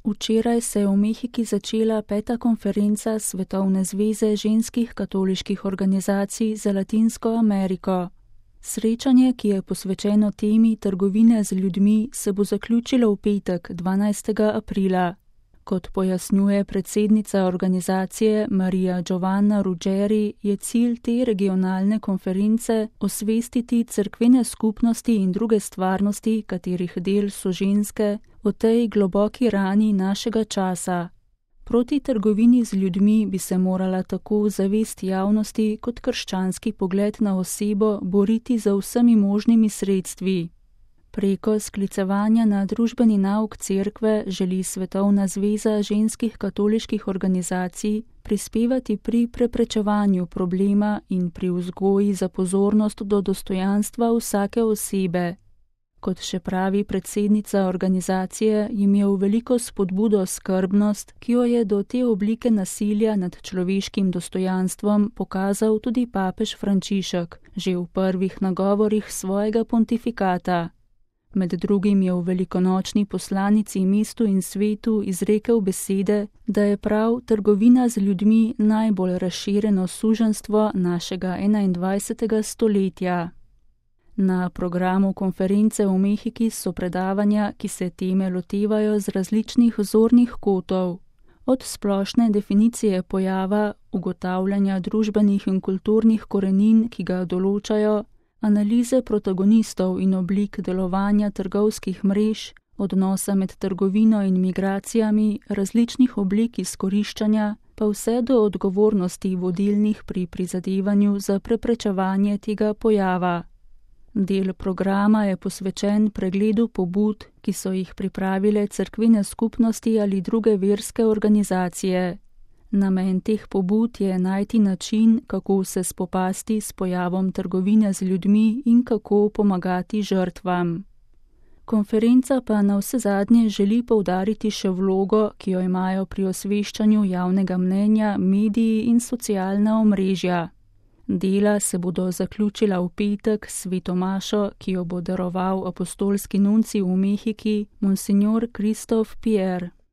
Včeraj se je v Mehiki začela 5. konferenca Svetovne zveze ženskih katoliških organizacij za Latinsko Ameriko. Srečanje, ki je posvečeno temi trgovine z ljudmi, se bo zaključilo v petek, 12. aprila. Kot pojasnjuje predsednica organizacije Maria Giovanna Ruggeri, je cilj te regionalne konference osvestiti cerkvene skupnosti in druge stvarnosti, katerih del so ženske, o tej globoki rani našega časa. Proti trgovini z ljudmi bi se morala tako zavest javnosti kot krščanski pogled na osebo boriti za vsemi možnimi sredstvi. Preko sklicevanja na družbeni nauk cerkve želi Svetovna zveza ženskih katoliških organizacij prispevati pri preprečevanju problema in pri vzgoji za pozornost do dostojanstva vsake osebe. Kot še pravi predsednica organizacije, jim je v veliko spodbudo skrbnost, ki jo je do te oblike nasilja nad človeškim dostojanstvom pokazal tudi papež Frančišek, že v prvih nagovorih svojega pontifikata. Med drugim je v velikonočni poslanici mestu in svetu izrekel besede, da je prav trgovina z ljudmi najbolj razširjeno suženjstvo našega 21. stoletja. Na programu konference v Mehiki so predavanja, ki se teme lotevajo z različnih zornih kotov. Od splošne definicije pojava, ugotavljanja družbenih in kulturnih korenin, ki ga določajo, analize protagonistov in oblik delovanja trgovskih mrež, odnosa med trgovino in migracijami, različnih oblik izkoriščanja, pa vse do odgovornosti vodilnih pri prizadevanju za preprečevanje tega pojava. Del programa je posvečen pregledu pobud, ki so jih pripravile cerkvene skupnosti ali druge verske organizacije. Namen teh pobud je najti način, kako se spopasti s pojavom trgovine z ljudmi in kako pomagati žrtvam. Konferenca pa navsezadnje želi poudariti še vlogo, ki jo imajo pri osveščanju javnega mnenja mediji in socialna omrežja. Dela se bodo zaključila v petek s sveto mašo, ki jo bo daroval apostolski nuncij v Mehiki, monsignor Christophe Pierre.